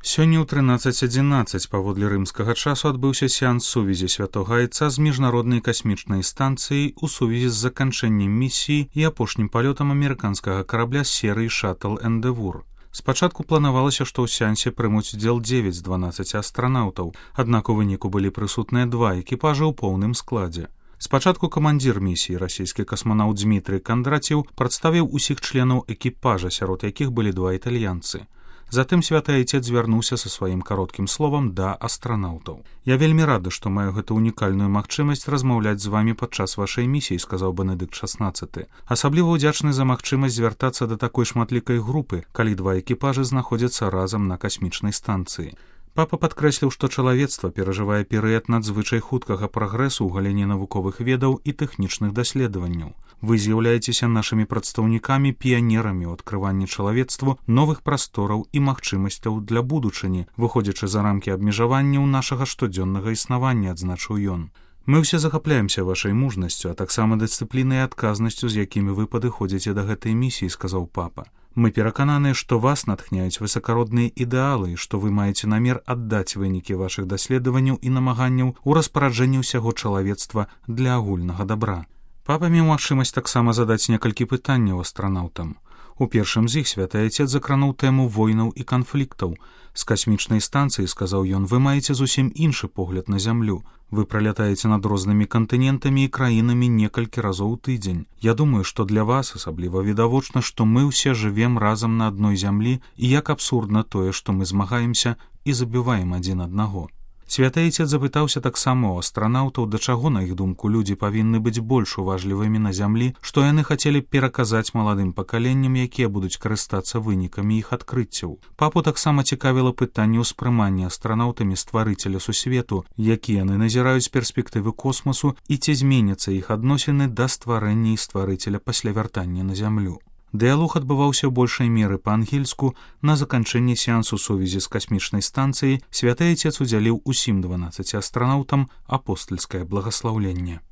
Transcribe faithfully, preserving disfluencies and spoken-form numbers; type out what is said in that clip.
Сёння ў трынаццаць адзінаццаць паводле рымскага часу адбыўся сеанс сувязі святога айца з міжнароднай касмічнай станцыяй у сувязі з заканчэннем місіі і апошнім палётам амерыканскага карабля з серыі «Шаттл Эндевур». Спачатку планавалася, што ў сеансе прымуць удзел дзевяць з дванаццаці астранаўтаў, аднак у выніку былі прысутныя два экіпажы ў поўным складзе. Спачатку камандзір місіі, расійскі касманаўт Дмітрый Кандраціў, прадставіў усіх членаў экіпажа, сярод якіх былі два італьянцы. Затым святы айцец звярнуўся са сваім кароткім словам да астранаўтаў. «Я вельмі рады, што маю гэту унікальную магчымасць размаўляць з вамі падчас вашай місіі», — сказаў Бенедыкт шаснаццаты. «Асабліва ўдзячны за магчымасць звяртацца да такой шматлікай групы, калі два экіпажы знаходзяцца разам на касмічнай станцыі». Папа падкрэсліў, што чалавецтва перажывае перыяд надзвычай хуткага прагрэсу ў галіне навуковых ведаў і тэхнічных даследаванняў. Вы з'яўляецеся нашымі прадстаўнікамі, піянерамі ў адкрыванні чалавецтву новых прастораў і магчымасцяў для будучыні, выходзячы за рамкі абмежаванняў нашага штодзённага існавання, адзначыў ён. «Мы ўсе захапляемся вашай мужнасцю, а таксама дысцыплінай і адказнасцю, з якімі вы падыходзіце да гэтай місіі», — сказаў папа. «Мы перакананыя, што вас натхняюць высакародныя ідэалы, што вы маеце намер аддаць вынікі вашых даследаванняў і намаганняў у распараджэнні ўсяго чалавецтва для агульнага дабра». Папа меў магчымасць таксама задаць некалькі пытанняў астранаўтам. У першым з іх святы айцец закрануў тэму войнаў і канфліктаў. «З касмічнай станцыі, — сказаў ён, — вы маеце зусім іншы погляд на зямлю. Вы пралятаеце над рознымі кантынентамі і краінамі некалькі разоў у тыдзень. Я думаю, што для вас асабліва відавочна, што мы ўсе жывем разам на адной зямлі, і як абсурдна тое, што мы змагаемся і забіваем адзін аднаго». Святы айцец запытаўся таксама ў астранаўтаў, да чаго, на іх думку, людзі павінны быць больш уважлівымі на зямлі, што яны хацелі пераказаць маладым пакаленням, якія будуць карыстацца вынікамі іх адкрыццяў. Папу таксама цікавіла пытанне ўспрымання астранаўтамі стварыцеля сусвету, які яны назіраюць перспектывы космосу і ці зменяцца іх адносіны да стварэння і стварыцеля пасля вяртання на зямлю. Дыялог адбываўся ў большай меры па-ангельску. На заканчэнні сеансу сувязі з касмічнай станцыяй святы айцец удзяліў усім дванаццаці астранаўтам апостальскае благаслаўленне.